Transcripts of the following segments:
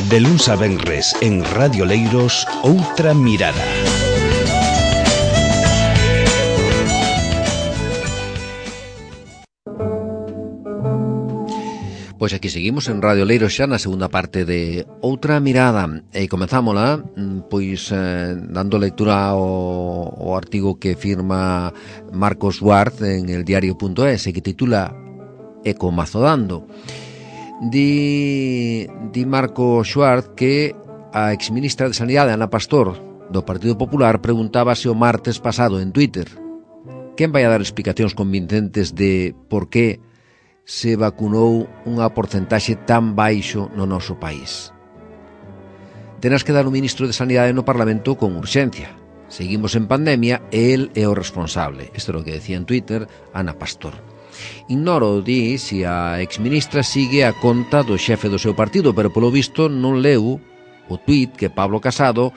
De luns a venres en Radio Leiros, Outra Mirada. Pois aquí seguimos en Radio Leiros xa na segunda parte de Outra Mirada e comenzámola pois dando lectura ao artigo que firma Marcos Schwartz en el diario.es que titula Ecomazodando. Di Marcos Schwartz que a exministra de Sanidade Ana Pastor do Partido Popular preguntábase o martes pasado en Twitter quen vai a dar explicacións convincentes de por que se vacunou unha porcentaxe tan baixo no noso país. Tenas que dar o ministro de Sanidade no Parlamento con urxencia. Seguimos en pandemia e el é o responsable. Isto é o que decía en Twitter Ana Pastor. Ignoro, di, se a exministra sigue a conta do xefe do seu partido, pero polo visto non leu o tuit que Pablo Casado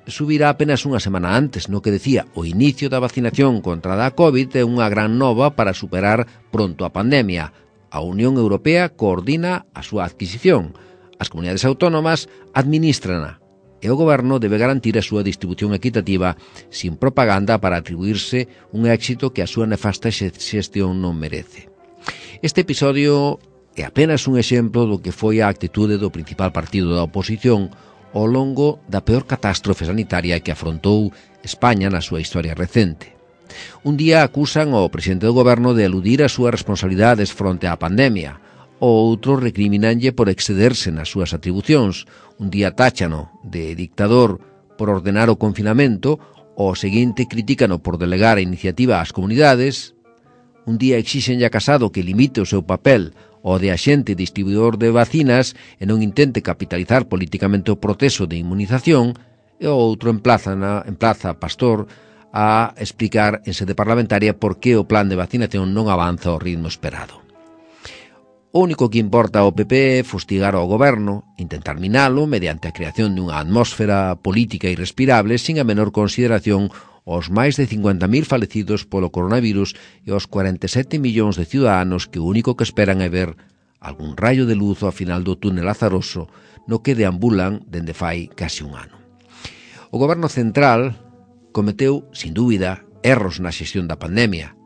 subirá apenas unha semana antes, no que decía o inicio da vacinación contra a COVID é unha gran nova para superar pronto a pandemia. A Unión Europea coordina a súa adquisición, as comunidades autónomas administrana e o goberno debe garantir a súa distribución equitativa sin propaganda para atribuirse un éxito que a súa nefasta xestión non merece. Este episodio é apenas un exemplo do que foi a actitude do principal partido da oposición ao longo da peor catástrofe sanitaria que afrontou España na súa historia recente. Un día acusan ao presidente do goberno de eludir as súas responsabilidades fronte á pandemia, o outro recriminanlle por excederse nas súas atribucións. Un día táchano de dictador por ordenar o confinamento, o seguinte critícano por delegar a iniciativa ás comunidades. Un día exixenlle a Casado que limite o seu papel o de axente distribuidor de vacinas e non intente capitalizar políticamente o proceso de inmunización, e o outro emplaza a Pastor a explicar en sede parlamentaria por que o plan de vacinación non avanza ao ritmo esperado. O único que importa ao PP é fustigar ao goberno, intentar minalo mediante a creación dunha atmósfera política irrespirable sin a menor consideración aos máis de 50.000 falecidos polo coronavirus e aos 47 millóns de ciudadanos que o único que esperan é ver algún raio de luz ao final do túnel azaroso no que deambulan dende fai case un ano. O goberno central cometeu, sin dúbida, erros na xestión da pandemia.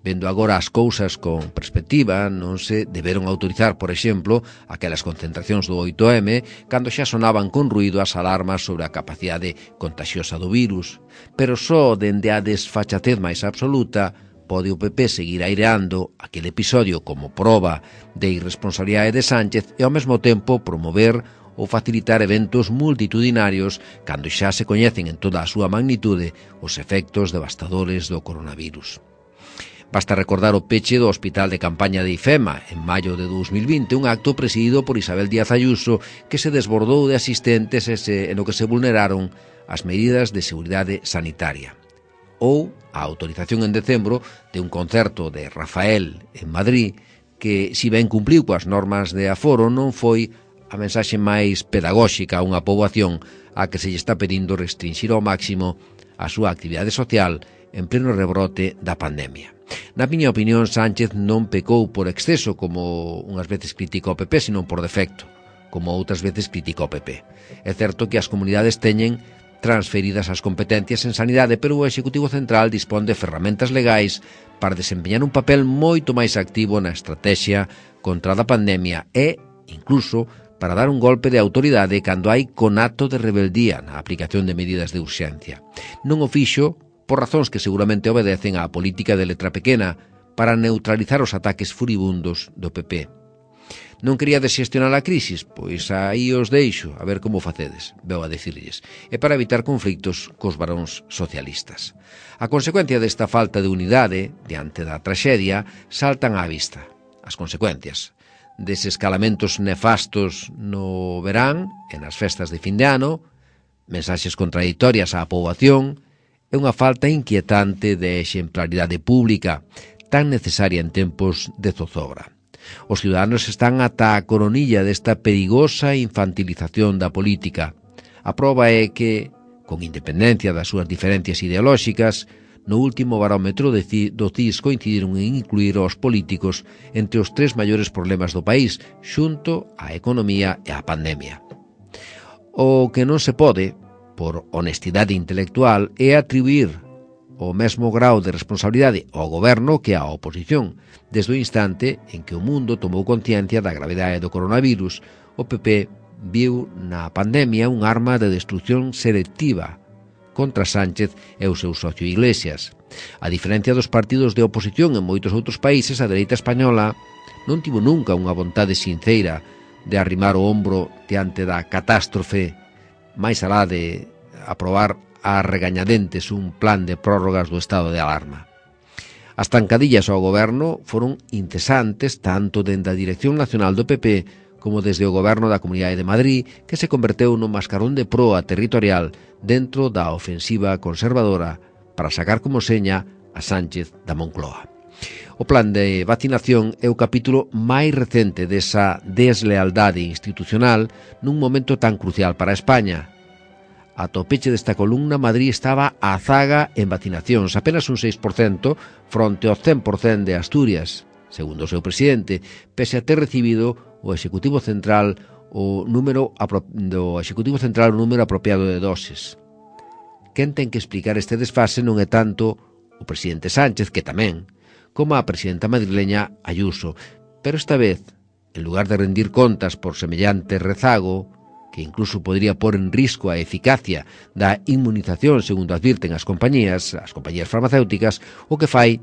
Vendo agora as cousas con perspectiva, non se deberon autorizar, por exemplo, aquelas concentracións do 8M cando xa sonaban con ruído as alarmas sobre a capacidade contagiosa do virus. Pero só dende a desfachatez máis absoluta pode o PP seguir aireando aquele episodio como proba de irresponsabilidade de Sánchez e ao mesmo tempo promover ou facilitar eventos multitudinarios cando xa se coñecen en toda a súa magnitude os efectos devastadores do coronavirus. Basta recordar o peche do Hospital de Campaña de IFEMA en maio de 2020, un acto presidido por Isabel Díaz Ayuso que se desbordou de asistentes e no que se vulneraron as medidas de seguridade sanitaria. Ou a autorización en decembro de un concerto de Rafael en Madrid que, si ben cumpliu coas normas de aforo, non foi a mensaxe máis pedagóxica a unha poboación a que se lle está pedindo restringir ao máximo a súa actividade social en pleno rebrote da pandemia. Na miña opinión, Sánchez non pecou por exceso, como unhas veces critica o PP, sino por defecto, como outras veces critica o PP. É certo que as comunidades teñen transferidas as competencias en sanidade, pero o Executivo Central dispón de ferramentas legais para desempeñar un papel moito máis activo na estrategia contra a pandemia e, incluso, para dar un golpe de autoridade cando hai conato de rebeldía na aplicación de medidas de urxencia. Non o fixo por razóns que seguramente obedecen á política de letra pequena para neutralizar os ataques furibundos do PP. Non quería desxestionar a crisis? Pois aí os deixo, a ver como facedes, veu a dicirlles, e para evitar conflictos cos varóns socialistas. A consecuencia desta falta de unidade diante da traxedia saltan á vista. As consecuencias desescalamentos nefastos no verán e nas festas de fin de ano, mensaxes contradictorias á poboación e unha falta inquietante de exemplaridade pública tan necesaria en tempos de zozobra. Os ciudadanos están ata a coronilla desta perigosa infantilización da política. A proba é que, con independencia das súas diferencias ideolóxicas, No último barómetro do CIS coincidiron en incluir aos políticos entre os 3 maiores problemas do país, xunto á economía e á pandemia. O que non se pode, por honestidade intelectual, é atribuir o mesmo grau de responsabilidade ao goberno que á oposición. Desde o instante en que o mundo tomou conciencia da gravidade do coronavirus, o PP viu na pandemia un arma de destrucción selectiva contra Sánchez e o seu socio Iglesias. A diferencia dos partidos de oposición en moitos outros países, a dereita española non tivo nunca unha vontade sinceira de arrimar o ombro diante da catástrofe, máis alá de aprobar a regañadentes un plan de prórrogas do estado de alarma. As tancadillas ao goberno foron incesantes tanto dende a Dirección Nacional do PP como desde o goberno da Comunidade de Madrid, que se converteu no mascarón de proa territorial dentro da ofensiva conservadora para sacar como seña a Sánchez da Moncloa. O plan de vacinación é o capítulo máis recente desa deslealdade institucional nun momento tan crucial para España. Ata o peche desta columna, Madrid estaba á zaga en vacinacións, apenas un 6% fronte ao 100% de Asturias, segundo o seu presidente, pese a ter recibido o Executivo Central o número apropiado de doses. Quen ten que explicar este desfase non é tanto o presidente Sánchez, que tamén, como a presidenta madrileña Ayuso, pero esta vez, en lugar de rendir contas por semellante rezago, que incluso podría pôr en risco a eficacia da inmunización, segundo advirten as compañías farmacéuticas, o que fai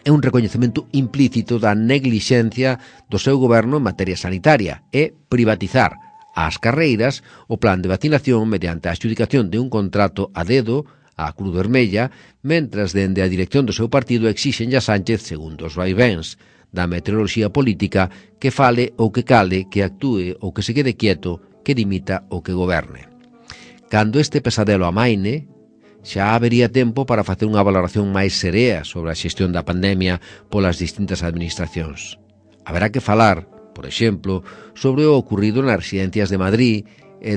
é un recoñecemento implícito da neglixencia do seu goberno en materia sanitaria e privatizar ás carreiras o plan de vacinación mediante a adxudicación de un contrato a dedo á Cruz Vermella, mentras dende a dirección do seu partido exixen a Sánchez, segundo os vaivéns da meteoroloxía política, que fale ou que cale, que actúe ou que se quede quieto, que dimita ou que goberne. Cando este pesadelo amaine, xa habería tempo para facer unha valoración máis serea sobre a xestión da pandemia polas distintas administracións. Haberá que falar, por exemplo, sobre o ocurrido nas residencias de Madrid e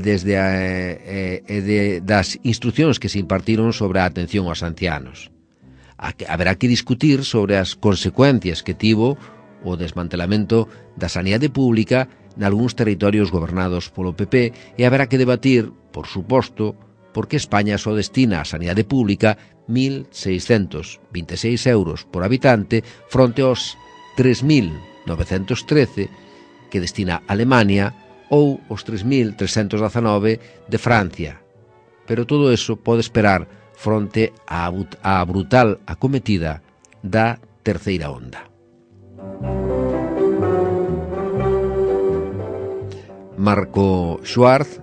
das instruccións que se impartiron sobre a atención aos ancianos. Haberá que discutir sobre as consecuencias que tivo o desmantelamento da sanidade pública nalgúns territorios gobernados polo PP e haberá que debatir, por suposto, por que España só destina á sanidade pública 1.626 euros por habitante fronte aos 3.913 que destina Alemania ou os 3.319 de Francia. Pero todo eso pode esperar fronte á brutal acometida da terceira onda. Marco Schwartz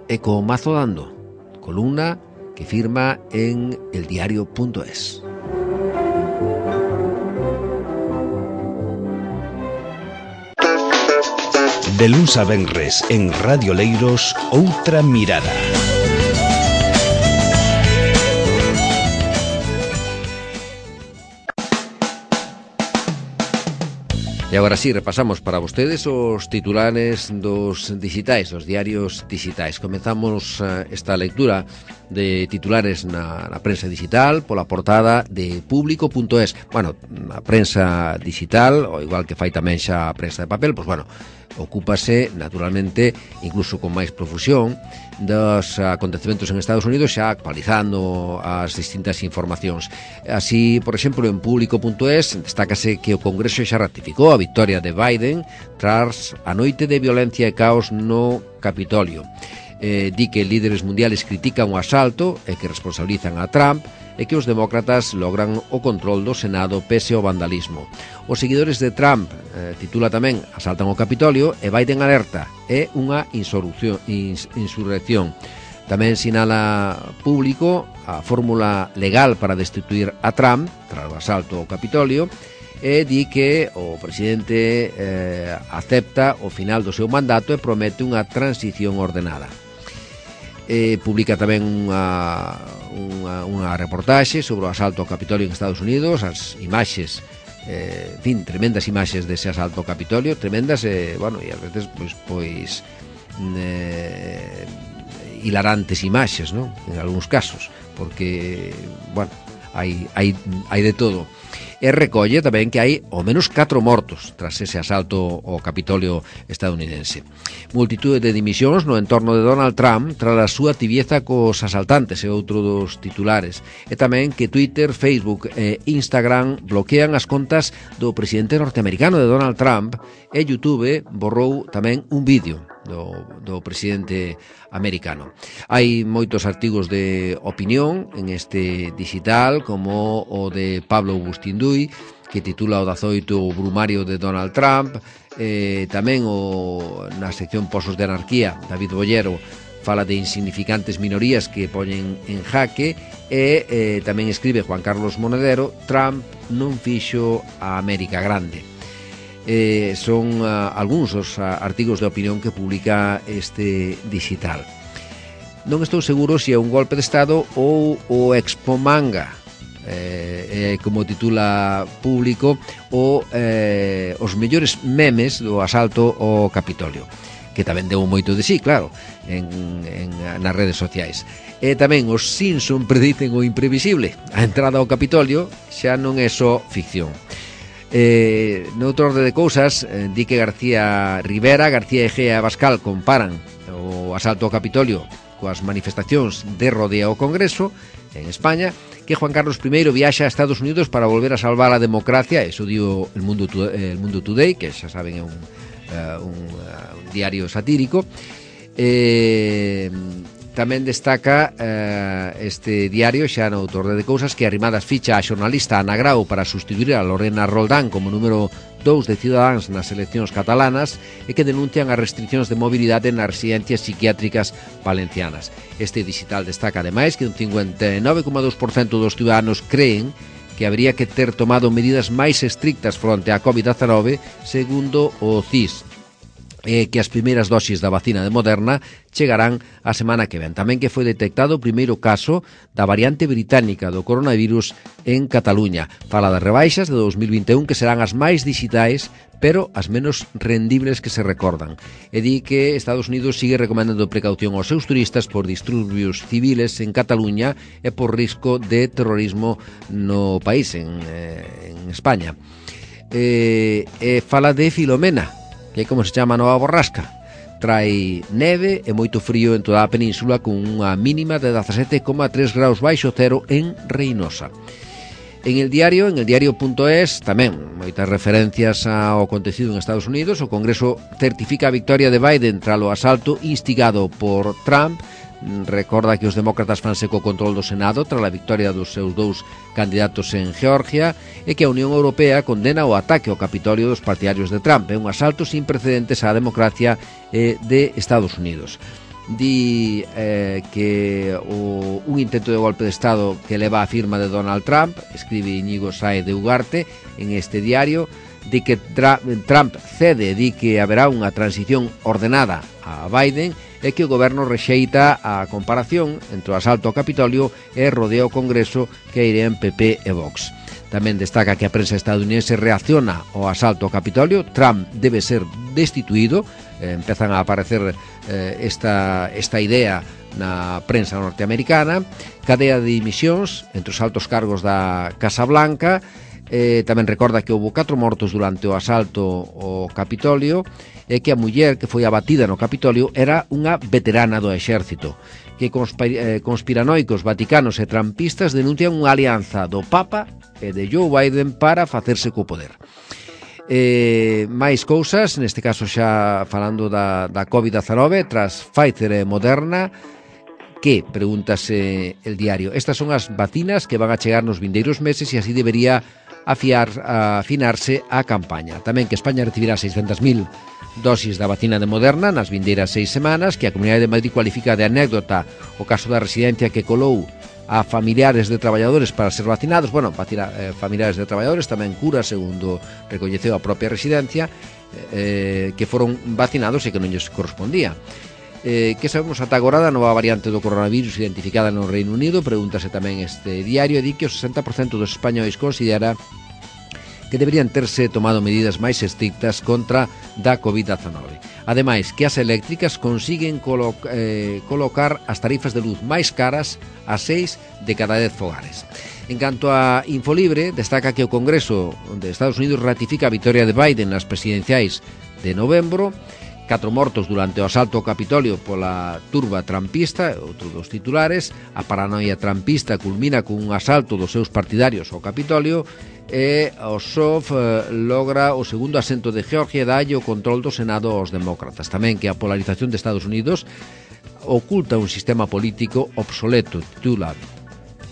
e co mazo dando, columna que firma en eldiario.es. De luns a venres en Radio Leiros, outra mirada. E agora sí, repasamos para vostedes os titulares dos digitais, os diarios digitais. Comezamos esta lectura de titulares na prensa digital pola portada de Público.es. Bueno, a prensa digital, o igual que fai tamén xa a prensa de papel, pois bueno, ocúpase naturalmente, incluso con máis profusión, dos acontecementos en Estados Unidos, xa actualizando as distintas informacións. Así, por exemplo, en Público.es destácase que o Congreso xa ratificou a victoria de Biden tras a noite de violencia e caos no Capitolio. Di que líderes mundiales critican o asalto e que responsabilizan a Trump e que os demócratas logran o control do Senado pese ao vandalismo. Os seguidores de Trump, titula tamén, asaltan o Capitolio e Biden alerta, é unha insurrección. Tamén sinala Público a fórmula legal para destituir a Trump tras o asalto ao Capitolio e di que o presidente acepta o final do seu mandato e promete unha transición ordenada. Publica tamén unha reportaxe sobre o asalto ao Capitolio en Estados Unidos, as imaxes, en fin, tremendas imaxes dese asalto ao Capitolio, tremendas e, bueno, e ás veces pois hilarantes imaxes, non? En algúns casos, porque, bueno, hai de todo. E recolle tamén que hai ao menos 4 mortos tras ese asalto ao Capitolio estadounidense. Multitude de dimisións no entorno de Donald Trump tras a súa tibieza cos asaltantes, é outro dos titulares. E tamén que Twitter, Facebook e Instagram bloquean as contas do presidente norteamericano de Donald Trump, e YouTube borrou tamén un vídeo do presidente americano. Hai moitos artigos de opinión en este digital, como o de Pablo Bustinduy, que titula o 18 o brumario de Donald Trump, tamén na sección Pozos de Anarquía, David Bollero fala de insignificantes minorías que poñen en jaque, e tamén escribe Juan Carlos Monedero, Trump non fixo a América grande. Son algúns os artigos de opinión que publica este digital. Non estou seguro se é un golpe de Estado ou o Expo Manga, como titula Público, os mellores memes do asalto ao Capitolio, que tamén deu moito de sí, claro, nas redes sociais. E tamén os Simpson predicen o imprevisible. A entrada ao Capitolio xa non é só ficción. Noutro orde de cousas, di que García Rivera, García Egea e Abascal comparan o asalto ao Capitolio coas manifestacións de rodea ao Congreso en España, que Juan Carlos I viaxa a Estados Unidos para volver a salvar a democracia. Eso dio el Mundo Today, que xa saben é un diario satírico. Tamén destaca este diario, xa no autor de cousas, que Arrimadas ficha a xornalista Ana Grau para sustituir a Lorena Roldán como número 2 de Ciudadanos nas eleccións catalanas, e que denuncian as restriccións de mobilidade nas residencias psiquiátricas valencianas. Este digital destaca ademais que un 59,2% dos ciudadanos creen que habría que ter tomado medidas máis estrictas fronte á COVID-19, segundo o CIS, que as primeiras dosis da vacina de Moderna chegarán a semana que ven. Tamén que foi detectado o primeiro caso da variante británica do coronavirus en Cataluña. Fala das rebaixas de 2021, que serán as máis digitais, pero as menos rendibles que se recordan. E di que Estados Unidos sigue recomendando precaución aos seus turistas por disturbios civiles en Cataluña e por risco de terrorismo no país, en España. Fala de Filomena, que é como se chama a nova borrasca. Trae neve e moito frío en toda a península, con unha mínima de 17,3 graus baixo cero en Reinosa. En el diario.es, tamén moitas referencias ao acontecido en Estados Unidos. O Congreso certifica a victoria de Biden tras o asalto instigado por Trump. Recorda que os demócratas fanse co control do Senado tras a victoria dos seus dous candidatos en Georgia, e que a Unión Europea condena o ataque ao Capitolio dos partidarios de Trump. É un asalto sin precedentes á democracia de Estados Unidos. Di que un intento de golpe de Estado que leva a firma de Donald Trump, escribe Íñigo Sáez de Ugarte en este diario, di que Trump cede, di que haberá unha transición ordenada a Biden, e que o goberno rexeita a comparación entre o asalto ao Capitolio e rodeo ao Congreso que irían PP e Vox. Tamén destaca que a prensa estadounidense reacciona ao asalto ao Capitolio. Trump debe ser destituído. Empezan a aparecer esta idea na prensa norteamericana. Cadea de dimisións entre os altos cargos da Casa Blanca. Tamén recorda que houve 4 mortos durante o asalto ao Capitolio, e que a muller que foi abatida no Capitolio era unha veterana do exército. Que conspiranoicos vaticanos e trampistas denuncian unha alianza do Papa e de Joe Biden para facerse co poder. Máis cousas, neste caso xa falando da COVID-19, tras Pfizer e Moderna, que, pregúntase el diario, estas son as vacinas que van a chegar nos vindeiros meses, e así debería afinarse a campaña. Tamén que España recibirá 600.000 dosis da vacina de Moderna nas vindeiras 6 semanas, que a Comunidade de Madrid cualifica de anécdota o caso da residencia que colou a familiares de traballadores para ser vacinados. Bueno, familiares de traballadores, tamén cura, segundo recoñeceu a propia residencia, que foron vacinados e que non lles correspondía. Que sabemos ata agora da nova variante do coronavirus identificada no Reino Unido? Pregúntase tamén este diario, e di que o 60% dos españois considera que deberían terse tomado medidas máis estrictas contra da COVID-19. Ademais, que as eléctricas consiguen colocar as tarifas de luz máis caras a 6 de cada 10 fogares. En canto a Infolibre, destaca que o Congreso de Estados Unidos ratifica a vitoria de Biden nas presidenciais de novembro, 4 mortos durante o asalto ao Capitolio pola turba trampista, outro dos titulares. A paranoia trampista culmina cun asalto dos seus partidarios ao Capitolio e o PSOE logra o segundo asento de Georgia e dalle o control do Senado aos demócratas. Tamén que a polarización de Estados Unidos oculta un sistema político obsoleto, titula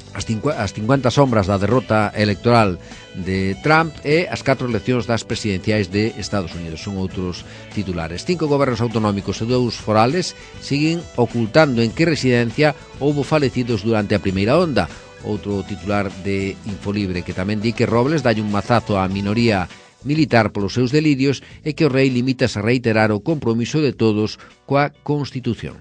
as 50 sombras da derrota electoral de Trump e as 4 eleccións das presidenciais de Estados Unidos. Son outros titulares. 5 gobernos autonómicos e 2 forales siguen ocultando en que residencia houbo falecidos durante a primeira onda. Outro titular de Infolibre que tamén di que Robles dalle un mazazo á minoría militar polos seus delirios e que o rei limítase a reiterar o compromiso de todos coa Constitución.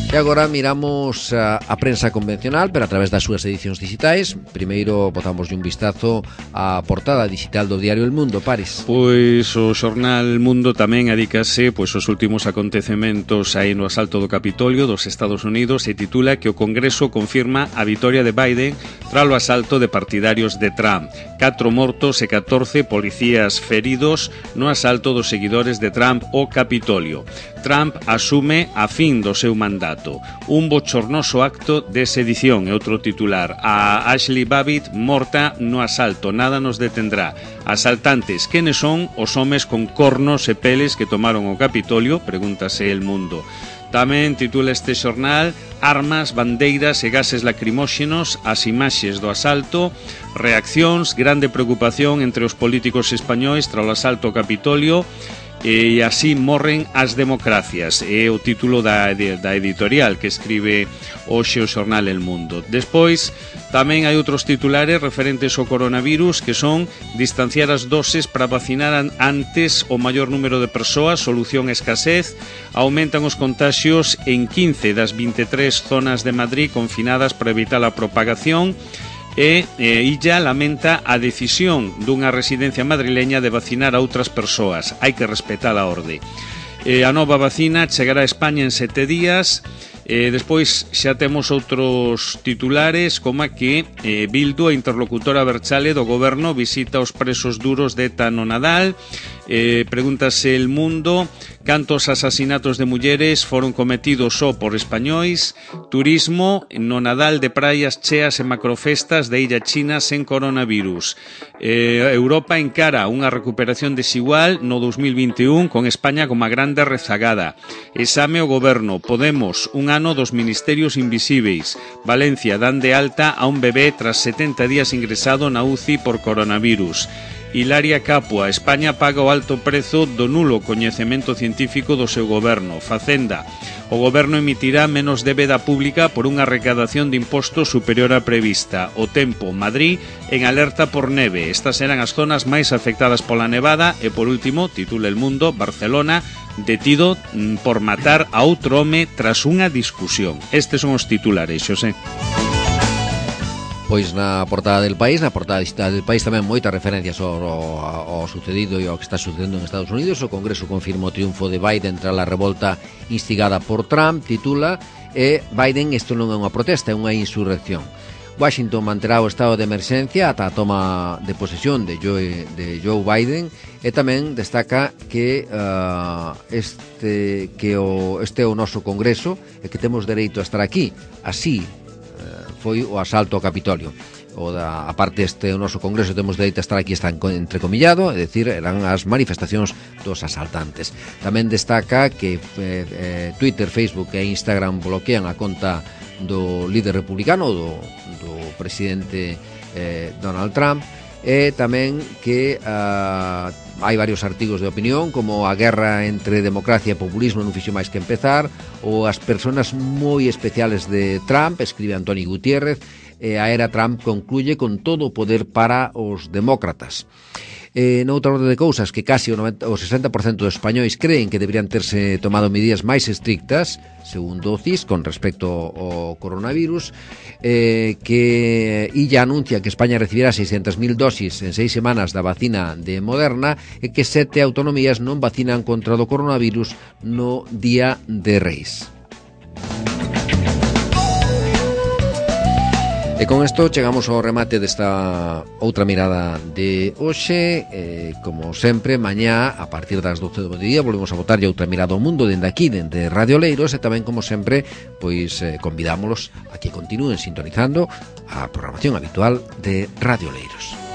E agora miramos a prensa convencional, pero a través das súas edicións digitais. Primeiro botamos un vistazo á portada digital do diario El Mundo, Paris. Pois o xornal Mundo tamén adícase aos últimos acontecementos aí no asalto do Capitolio dos Estados Unidos e titula que o Congreso confirma a vitoria de Biden tras o asalto de partidarios de Trump. 4 mortos e 14 policías feridos no asalto dos seguidores de Trump ao Capitolio. Trump asume a fin do seu mandato. Un bochornoso acto de sedición, é outro titular. A Ashley Babbitt morta no asalto, nada nos detendrá. Asaltantes, quenes son os homes con cornos e peles que tomaron o Capitolio? Pregúntase El Mundo. Tamén titula este xornal: armas, bandeiras e gases lacrimóxenos, as imaxes do asalto, reaccións, grande preocupación entre os políticos españois tras o asalto ao Capitolio. E así morren as democracias, é o título da editorial que escribe hoxe o xornal El Mundo. Despois tamén hai outros titulares referentes ao coronavirus, que son: distanciar as doses para vacinar antes o maior número de persoas, solución a escasez. Aumentan os contaxios en 15 das 23 zonas de Madrid confinadas para evitar a propagación. E Illa lamenta a decisión dunha residencia madrileña de vacinar a outras persoas. Hai que respetar a orde. A nova vacina chegará a España en 7 días. Despois xa temos outros titulares, como que Bildu, a interlocutora Berchale do goberno, visita os presos duros de ETA no Nadal. Pregúntase El Mundo: cantos asasinatos de mulleres foron cometidos só por españois? Turismo: no Nadal de praias cheas e macrofestas de Illa China sen coronavirus. Europa encara unha recuperación desigual no 2021 con España como a grande rezagada. Exame o goberno: Podemos, un ano dos ministerios invisíveis. Valencia, dan de alta a un bebé tras 70 días ingresado na UCI por coronavirus. Hilaria Capua: España paga o alto prezo do nulo coñecemento científico do seu goberno. Facenda: o goberno emitirá menos débeda pública por unha recadación de impostos superior á prevista. O Tempo: Madrid en alerta por neve. Estas eran as zonas máis afectadas pola nevada. E por último, titula El Mundo: Barcelona, detido por matar a outro home tras unha discusión. Estes son os titulares, Xosé. Pois na portada del País, na portada digital del País, tamén moitas referencias ao sucedido e ao que está sucedendo en Estados Unidos. O Congreso confirma o triunfo de Biden tras a revolta instigada por Trump, titula, e Biden, isto non é unha protesta, é unha insurrección. Washington manterá o estado de emerxencia ata a toma de posesión de Joe Biden, e tamén destaca que este é o noso Congreso e que temos dereito a estar aquí. Así foi o asalto ao Capitolio. A parte o noso Congreso temos dereito a estar aquí, está entrecomillado, é dicir, eran as manifestacións dos asaltantes. Tamén destaca que Twitter, Facebook e Instagram bloquean a conta do líder republicano, do presidente Donald Trump, e tamén que hai varios artigos de opinión, como a guerra entre democracia e populismo non fixo máis que empezar, ou as persoas moi especiales de Trump, escribe Antoni Gutiérrez, e a era Trump concluye con todo o poder para os demócratas. Noutra orde de cousas, que casi o 60% dos españois creen que deberían terse tomado medidas máis estrictas, segundo o CIS, con respecto ao coronavirus, que Illa anuncia que España recibirá 600.000 dosis en 6 semanas da vacina de Moderna e que 7 autonomías non vacinan contra o coronavirus no Día de Reis. E con isto chegamos ao remate desta outra mirada de hoxe. Como sempre, mañá a partir das 12 do día volvemos a botarlle outra mirada ao mundo dende aquí, dende Radio Oleiros, e tamén, como sempre, pois convidámolos a que continúen sintonizando a programación habitual de Radio Oleiros.